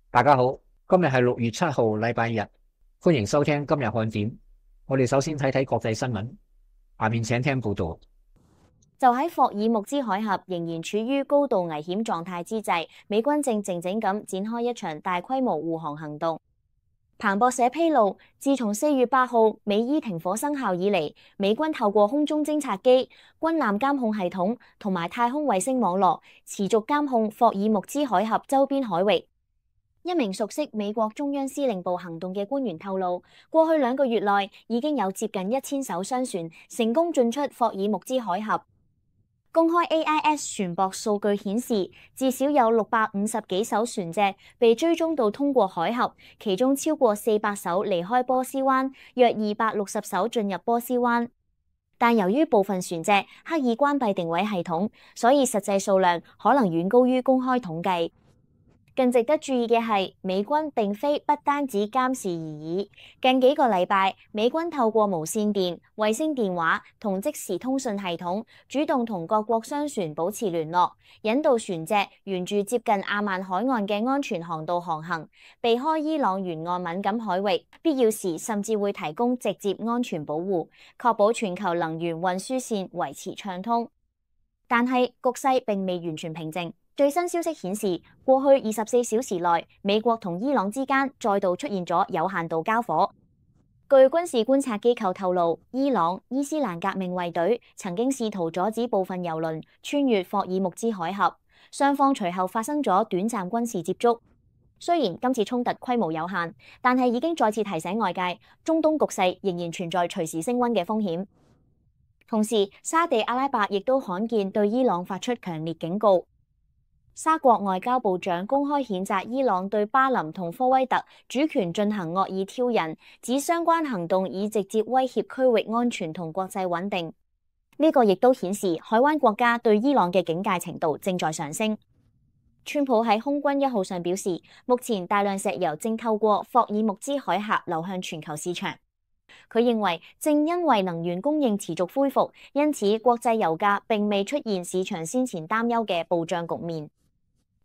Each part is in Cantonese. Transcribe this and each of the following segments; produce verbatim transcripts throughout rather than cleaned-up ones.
大家好，今日係六月七號，禮拜日，歡迎收聽今日看點。我哋首先睇睇國際新聞，下面請聽報道。就喺霍爾木茲海峽仍然處於高度危險狀態之際，美軍正靜靜咁展開一場大規模護航行動。彭博社披露，自從四月八號美伊停火生效以嚟，美軍透過空中偵察機、軍艦監控系統同埋太空衛星網絡，持續監控霍爾木茲海峽周邊海域。一名熟悉美國中央司令部行動嘅官員透露，過去兩個月內已經有接近一千艘商船成功進出霍爾木茲海峽。公開 A I S 船舶數據顯示，至少有六百五十幾艘船隻被追蹤到通過海峽，其中超過四百艘離開波斯灣，約二百六十艘進入波斯灣。但由於部分船隻刻意關閉定位系統，所以實際數量可能遠高於公開統計。更值得注意嘅係，美軍並非不單止監視而已。近幾個禮拜，美軍透過無線電、衛星電話同即時通訊系統，主動同各國商船保持聯絡，引導船隻沿住接近阿曼海岸嘅安全航道航行，避開伊朗沿岸敏感海域。必要時甚至會提供直接安全保護，確保全球能源運輸線維持暢通。但係局勢並未完全平靜。最新消息顯示，過去二十四小時內，美國同伊朗之間再度出現咗有限度交火。據軍事觀察機構透露，伊朗伊斯蘭革命衛隊曾經試圖阻止部分油輪穿越霍爾木茲海峽，雙方隨後發生咗短暫軍事接觸。雖然今次衝突規模有限，但係已經再次提醒外界，中東局勢仍然存在隨時升溫嘅風險。同時，沙地阿拉伯亦都罕見對伊朗發出強烈警告。沙國外交部長公開譴責伊朗對巴林同科威特主權進行惡意挑釁，指相關行動已直接威脅區域安全同國際穩定。呢個亦都顯示海灣國家對伊朗嘅警戒程度正在上升。川普喺空軍一號上表示，目前大量石油正透過霍爾木茲海峽流向全球市場。佢認為，正因為能源供應持續恢復，因此國際油價並未出現市場先前擔憂嘅暴漲局面。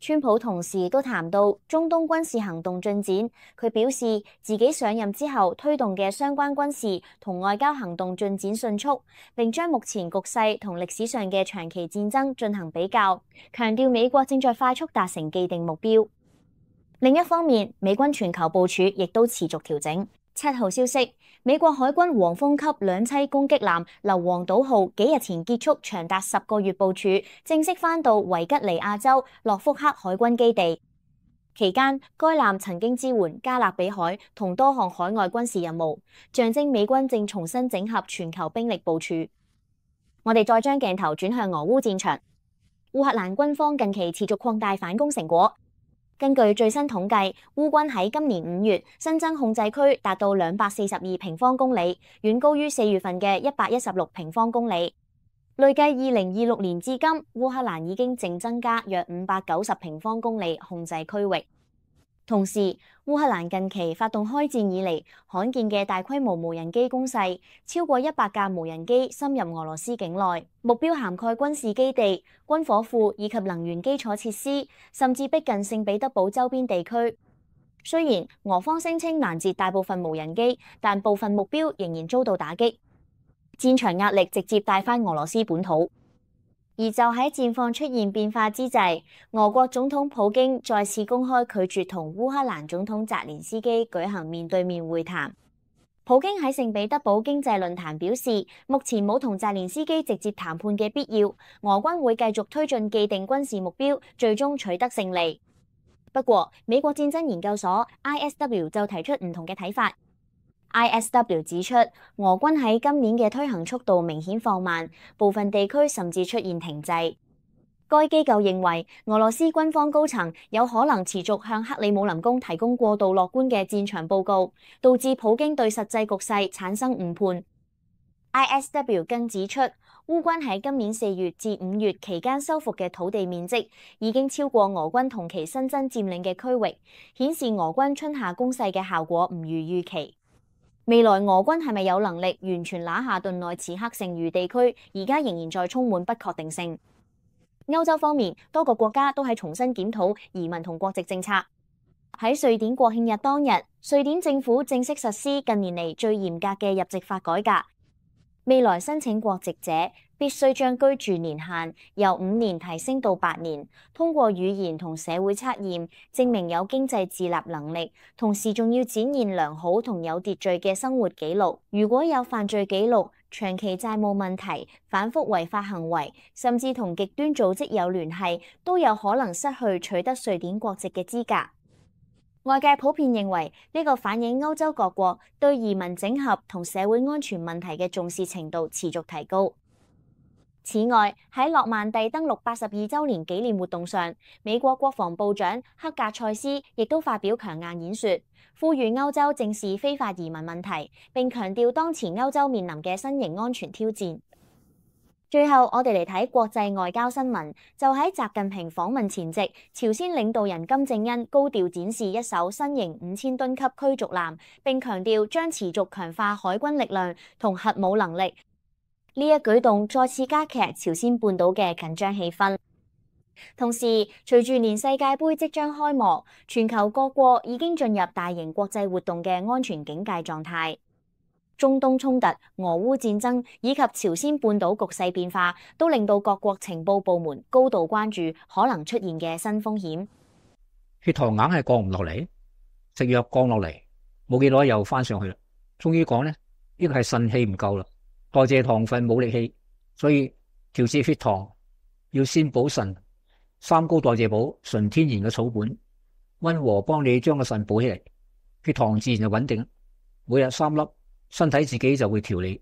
川普同時都談到中東軍事行動進展，佢表示自己上任之後推動嘅相關軍事同外交行動進展迅速，並將目前局勢同歷史上嘅長期戰爭進行比較，強調美國正在快速達成既定目標。另一方面，美軍全球部署亦都持續調整。七號消息，美國海軍黃蜂級兩棲攻擊艦硫磺島號幾日前結束長達十個月部署，正式返到維吉尼亞州諾福克海軍基地。期間，該艦曾經支援加勒比海同多項海外軍事任務，象徵美軍正重新整合全球兵力部署。我哋再將鏡頭轉向俄烏戰場，烏克蘭軍方近期持續擴大反攻成果。根據最新統計，烏軍喺今年五月新增控制區達到兩百四十二平方公里，遠高於四月份嘅一百一十六平方公里。累計二零二六年至今，烏克蘭已經淨增加約五百九十平方公里控制區域。同時，烏克蘭近期發動開戰以嚟罕見嘅大規模無人機攻勢，超過一百架無人機深入俄羅斯境內，目標涵蓋軍事基地、軍火庫以及能源基礎設施，甚至逼近聖彼得堡周邊地區。雖然俄方聲稱攔截大部分無人機，但部分目標仍然遭到打擊，戰場壓力直接帶返俄羅斯本土。而就喺戰況出現變化之際，俄國總統普京再次公開拒絕同烏克蘭總統澤連斯基舉行面對面會談。普京喺聖彼得堡經濟論壇表示，目前冇同澤連斯基直接談判嘅必要，俄軍會繼續推進既定軍事目標，最終取得勝利。不過，美國戰爭研究所 I S W 就提出唔同嘅睇法。I S W 指出，俄軍喺今年嘅推行速度明顯放慢，部分地區甚至出現停滯。該機構認為，俄羅斯軍方高層有可能持續向克里姆林宮提供過度樂觀嘅戰場報告，導致普京對實際局勢產生誤判。I S W 更指出，烏軍喺今年四月至五月期間收復嘅土地面積已經超過俄軍同期新增佔領嘅區域，顯示俄軍春夏攻勢嘅效果唔如預期。未來俄軍係咪有能力完全拿下頓內茨克剩餘地區，而家仍然在充滿不確定性。歐洲方面，多個國家都喺重新檢討移民同國籍政策。喺瑞典國慶日當日，瑞典政府正式實施近年嚟最嚴格嘅入籍法改革。未來申請國籍者必須將居住年限由五年提升到八年，通過語言同社會測驗證明有經濟自立能力，同時仲要展現良好同有秩序嘅生活記錄。如果有犯罪記錄、長期債務問題、反覆違法行為，甚至同極端組織有聯繫，都有可能失去取得瑞典國籍嘅資格。外界普遍認為呢個反映歐洲各國對移民整合同社會安全問題嘅重視程度持續提高。此外，喺諾曼第登陸八十二週年紀念活動上，美國國防部長克格塞斯亦都發表強硬演說，呼籲歐洲正視非法移民問題，並強調當前歐洲面臨嘅新型安全挑戰。最後，我哋嚟睇國際外交新聞。就喺習近平訪問前夕，朝鮮領導人金正恩高調展示一艘新型五千噸級驅逐艦，並強調將持續強化海軍力量同核武能力。呢一舉動再次加劇朝鮮半島嘅緊張氣氛。同時，隨住年世界盃即將開幕，全球各國已經進入大型國際活動嘅安全警戒狀態。中東衝突、俄烏戰爭以及朝鮮半島局勢變化，都令到各國情報部門高度關注可能出現嘅新風險。血糖硬係降唔落嚟，食藥降落嚟，冇幾耐又翻上去啦。終於講呢，呢個係腎氣唔夠啦，代謝糖分冇力氣，所以調節血糖要先補腎。三高代謝補，純天然嘅草本，溫和幫你將個腎補起嚟，血糖自然就穩定。每日三粒。身體自己就會調理。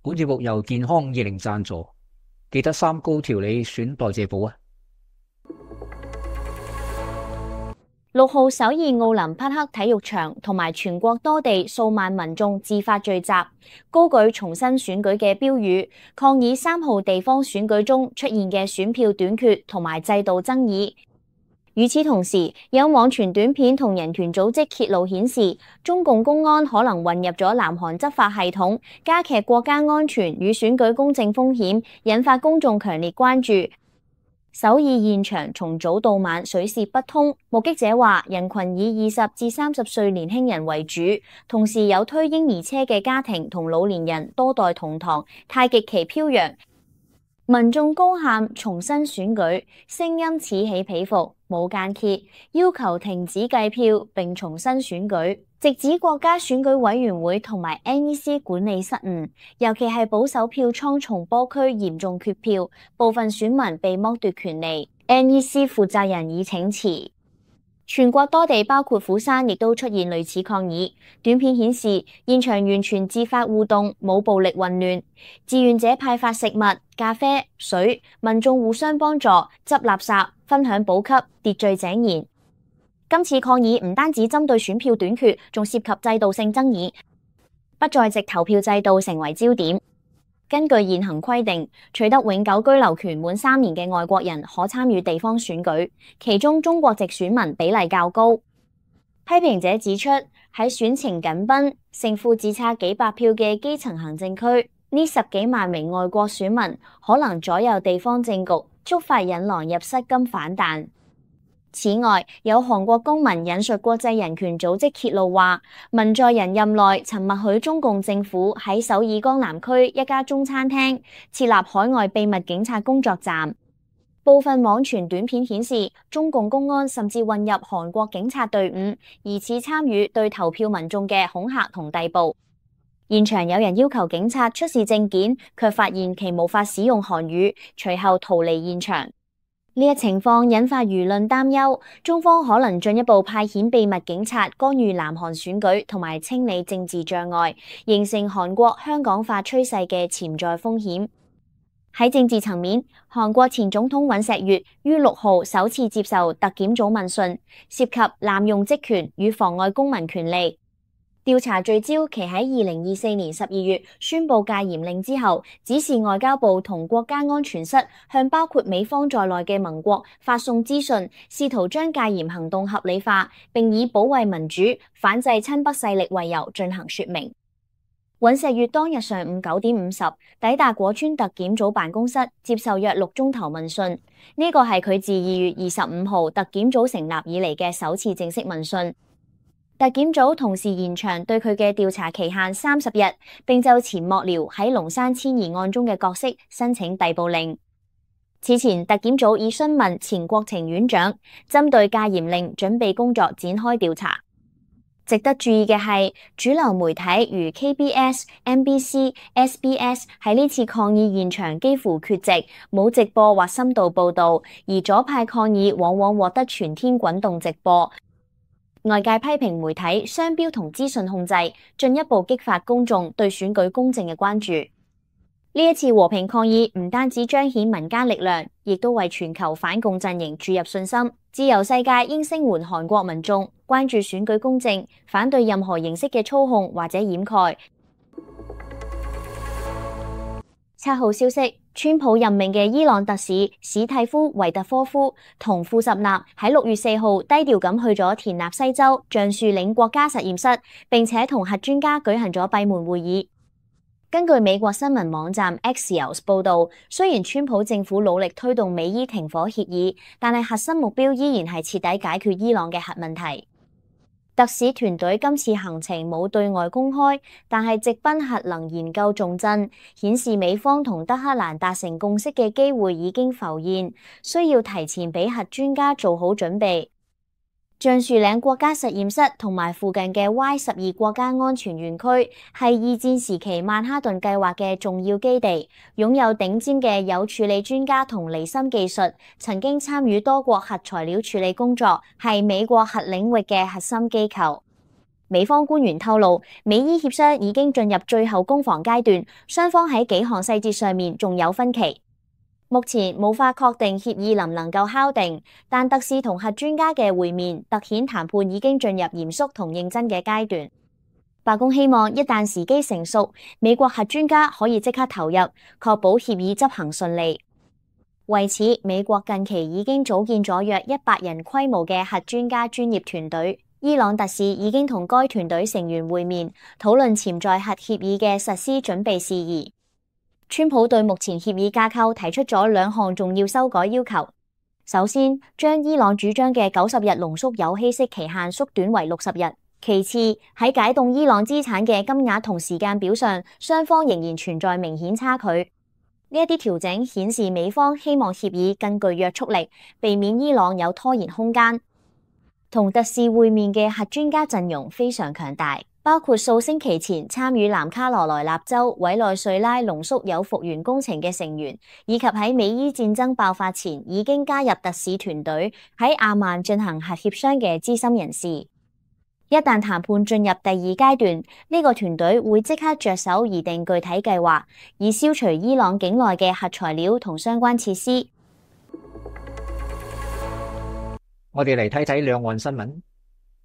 本節目由健康二零贊助，記得三高調理選代謝補啊！六號首爾奧林匹克體育場同埋全國多地數萬民眾自發聚集，高舉重新選舉嘅標語，抗議三號地方選舉中出現嘅選票短缺同埋制度爭議。與此同時，有網傳短片同人權組織揭露顯示，中共公安可能混入咗南韓執法系統，加劇國家安全與選舉公正風險，引發公眾強烈關注。首爾現場從早到晚水泄不通，目擊者話人群以二十至三十歲年輕人為主，同時有推嬰兒車嘅家庭同老年人多代同堂，太極旗飄揚。民眾高喊重新選舉，聲音此起彼伏，冇間歇，要求停止計票並重新選舉，直指國家選舉委員會同埋 N E C 管理失誤，尤其係保守票倉松坡區嚴重缺票，部分選民被剝奪權利。N E C 負責人已請辭。全國多地包括釜山亦都出現類似抗議。短片顯示現場完全自發互動，冇暴力混亂，志願者派發食物、咖啡、水，民眾互相幫助執垃圾、分享補給，秩序井然。今次抗議唔單止針對選票短缺，仲涉及制度性爭議，不在籍投票制度成為焦點。根據現行規定，取得永久居留權滿三年嘅外國人可參與地方選舉，其中中國籍選民比例較高。批評者指出，喺選情緊繃、勝負只差幾百票嘅基層行政區，呢十幾萬名外國選民可能左右地方政局，觸發引狼入室金反彈。此外，有韓國公民引述國際人權組織揭露話，文在寅任內曾默許中共政府喺首爾江南區一家中餐廳設立海外秘密警察工作站。部分網傳短片顯示，中共公安甚至混入韓國警察隊伍，疑似參與對投票民眾嘅恐嚇同逮捕。現場有人要求警察出示證件，卻發現其無法使用韓語，隨後逃離現場。呢一情況引發輿論擔憂，中方可能進一步派遣秘密警察干預南韓選舉同埋清理政治障礙，形成韓國香港化趨勢嘅潛在風險。喺政治層面，韓國前總統尹錫悅於六號首次接受特檢組問訊，涉及濫用職權與妨礙公民權利。調查聚焦其喺二零二四年十二月宣布戒嚴令之後，指示外交部同國家安全室向包括美方在內嘅盟國發送資訊，試圖將戒嚴行動合理化，並以保衛民主、反制親北勢力為由進行說明。尹錫悅當日上午九點五十抵達果川特檢組辦公室，接受約六鐘頭問訊。呢個係佢自二月二十五號特檢組成立以嚟嘅首次正式問訊。特檢組同時延長對佢嘅調查期限三十日，並就前幕僚喺龍山遷移案中嘅角色申請逮捕令。此前，特檢組已詢問前國情院長，針對戒嚴令準備工作展開調查。值得注意嘅係，主流媒體如 K B S、N B C、S B S 喺呢次抗議現場幾乎缺席，冇直播或深度報導，而左派抗議往往獲得全天滾動直播。外界批評媒體雙標同資訊控制，進一步激發公眾對選舉公正嘅關注。呢一次和平抗議唔單止彰顯民間力量，亦都為全球反共陣營注入信心。自由世界應聲援韓國民眾，關注選舉公正，反對任何形式嘅操控或者掩蓋。七號消息，川普任命嘅伊朗特使史蒂夫維特科夫同庫什納喺六月四號低調咁去咗田納西州橡樹嶺國家實驗室，並且同核專家舉行咗閉門會議。根據美國新聞網站 Axios 報導，雖然川普政府努力推動美伊停火協議，但係核心目標依然係徹底解決伊朗嘅核問題。特使團隊今次行程冇對外公開，但係直奔核能研究重鎮，顯示美方同德黑蘭達成共識嘅機會已經浮現，需要提前俾核專家做好準備。橡樹嶺國家實驗室同埋附近嘅 Y 十二國家安全園區係二戰時期曼哈頓計劃嘅重要基地，擁有頂尖嘅鈾處理專家同離心技術，曾經參與多國核材料處理工作，係美國核領域嘅核心機構。美方官員透露，美伊協商已經進入最後攻防階段，雙方喺幾項細節上面仲有分歧。目前無法確定協議能唔能夠敲定，但特使同核專家嘅會面突顯談判已經進入嚴肅同認真嘅階段。白宮希望一旦時機成熟，美國核專家可以即刻投入，確保協議執行順利。為此，美國近期已經組建咗約一百人規模嘅核專家專業團隊。伊朗特使已經同該團隊成員會面，討論潛在核協議嘅實施準備事宜。川普對目前協議架構提出咗兩項重要修改要求。首先，將伊朗主張嘅九十日濃縮鈾稀釋期限縮短為六十日。其次，喺解凍伊朗資產嘅金額同時間表上，雙方仍然存在明顯差距。呢一啲調整顯示美方希望協議更具約束力，避免伊朗有拖延空間。同特使會面嘅核專家陣容非常強大。包括數星期前參與南卡羅來納州委內瑞拉濃縮鈾復原工程嘅成員，以及喺美伊戰爭爆發前已經加入特使團隊喺阿曼進行核協商嘅資深人士。一旦談判進入第二階段，呢、這個團隊會即刻着手擬定具體計劃，以消除伊朗境內嘅核材料同相關設施。我哋嚟睇睇兩岸新聞，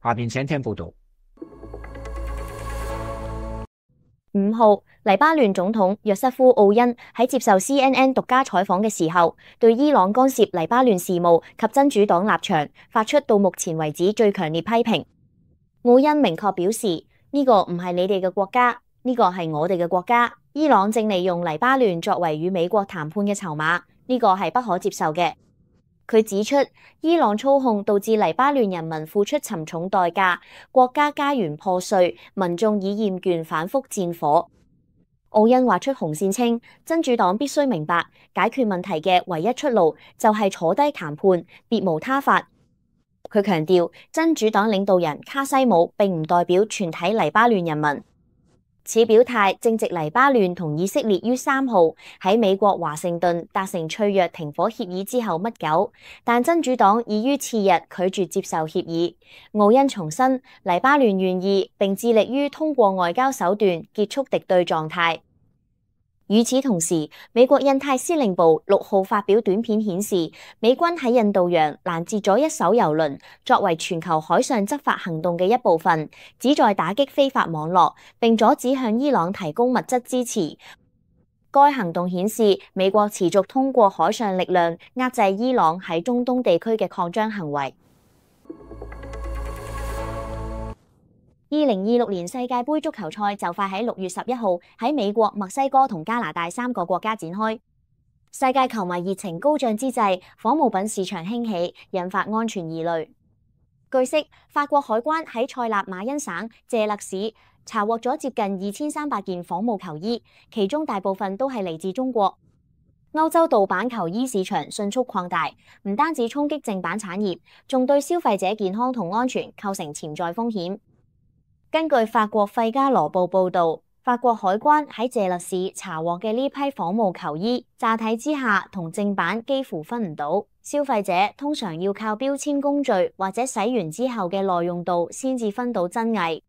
下面請聽報道。五號，黎巴嫩總統約瑟夫奧恩喺接受 C N N 獨家採訪嘅時候，對伊朗干涉黎巴嫩事務及真主黨立場發出到目前為止最強烈批評。奧恩明確表示，呢個唔係你哋嘅國家，呢個係我哋嘅國家。伊朗正利用黎巴嫩作為與美國談判嘅籌碼，呢個係不可接受嘅。佢指出，伊朗操控導致黎巴嫩人民付出沉重代價，國家家園破碎，民眾已厭倦反覆戰火。奧恩畫出紅線稱，真主黨必須明白，解決問題嘅唯一出路就係坐低談判，別無他法。佢強調，真主黨領導人卡西姆並唔代表全體黎巴嫩人民。此表態正值黎巴嫩同以色列於三號喺美國華盛頓達成脆弱停火協議之後不久，但真主黨已於次日拒絕接受協議。奧恩重申，黎巴嫩願意並致力於通過外交手段結束敵對狀態。與此同時，美國印太司令部六號發表短片顯示，美軍喺印度洋攔截咗一艘油輪，作為全球海上執法行動嘅一部分，旨在打擊非法網絡，並阻止向伊朗提供物質支持。該行動顯示，美國持續通過海上力量壓制伊朗喺中東地區嘅擴張行為。二零二六年世界盃足球賽就快喺六月十一號喺美國、墨西哥同加拿大三個國家展開。世界球迷熱情高漲之際，仿冒品市場興起，引發安全疑慮。據悉，法國海關喺塞納馬恩省謝勒市查獲咗接近二千三百件仿冒球衣，其中大部分都係嚟自中國。歐洲盜版球衣市場迅速擴大，唔單止衝擊正版產業，仲對消費者健康同安全構成潛在風險。根據法國費加羅報報導，法國海關喺謝勒市查獲嘅呢批仿冒球衣，乍睇之下同正版幾乎分唔到。消費者通常要靠標籤工序或者洗完之後嘅耐用度先至分到真偽。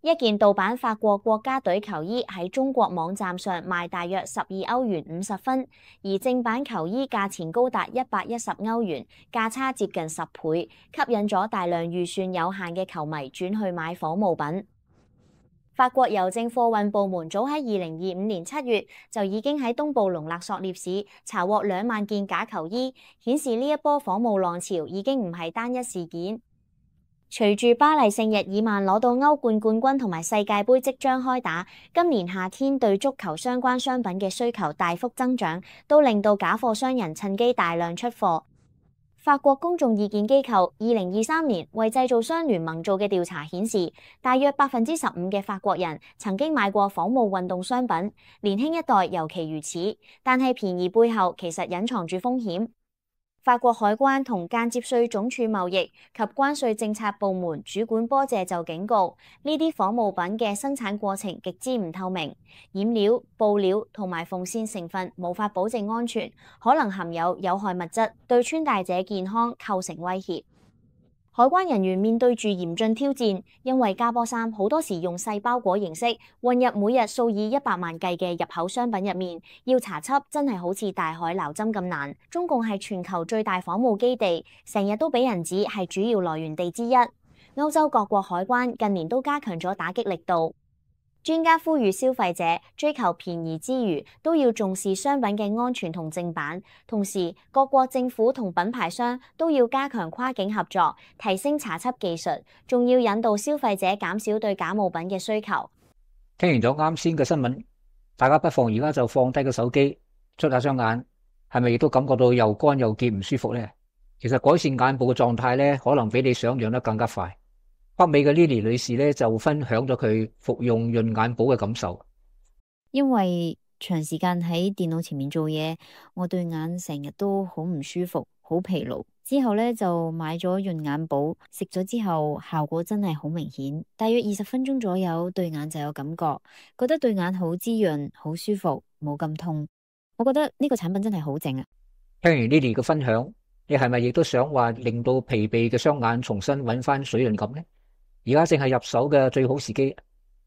一件盜版法國國家隊球衣喺中國網站上賣大約十二歐元五十分，而正版球衣價錢高達一百一十歐元，價差接近十倍，吸引咗大量預算有限嘅球迷轉去買仿冒品。法國郵政貨運部門早喺二零二五年七月就已經喺東布隆勒索涅市查獲兩萬件假球衣，顯示呢一波仿冒浪潮已經唔係單一事件。隨住巴黎聖日耳曼攞到歐冠冠軍同埋世界盃即將開打，今年夏天對足球相關商品嘅需求大幅增長，都令到假貨商人趁機大量出貨。法國公眾意見機構二零二三年為製造商聯盟做嘅調查顯示，大約百分之十五嘅法國人曾經買過仿冒運動商品，年輕一代尤其如此。但係便宜背後其實隱藏住風險。法國海關同間接稅總署貿易及關稅政策部門主管波謝就警告，呢啲仿冒品嘅生產過程極之唔透明，染料、布料同埋縫線成分無法保證安全，可能含有有害物質，對穿戴者健康構成威脅。海關人員面對住嚴峻挑戰，因為加波衫好多時用細包裹形式混入每日數以一百萬計嘅入口商品入面，要查緝真係好似大海撈針咁難。中共係全球最大仿冒基地，成日都俾人指係主要來源地之一。歐洲各國海關近年都加強咗打擊力度。專家呼籲消費者追求便宜之餘，都要重視商品嘅安全同正版。同時，各國政府同品牌商都要加強跨境合作，提升查緝技術，仲要引導消費者減少對假冒品嘅需求。聽完咗啱先嘅新聞，大家不妨而家就放低個手機，捽下雙眼，係咪亦都感覺到又乾又澀唔舒服呢？其實改善眼部嘅狀態咧，可能比你想象得更加快。北美嘅 Lily 女士咧就分享咗佢服用潤眼寶嘅感受。因為長時間喺電腦前面做嘢，我對眼成日都好唔舒服，好疲勞。之後咧就買咗潤眼寶，食咗之後效果真係好明顯，大約二十分鐘左右對眼就有感覺，覺得對眼好滋潤，好舒服，冇咁痛。我覺得呢個產品真係好正啊！聽完 Lily 嘅分享，你係咪亦都想話令到疲憊嘅雙眼重新揾翻水潤感呢？而家正係入手嘅最好時機，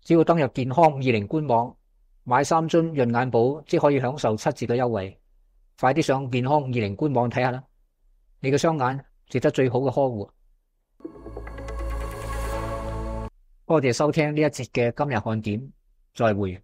只要登入健康二零官網買三樽潤眼寶，即可以享受七折嘅優惠。快啲上健康二零官網睇下啦！你嘅雙眼值得最好嘅呵護。多謝收聽呢一節嘅今日看點，再會。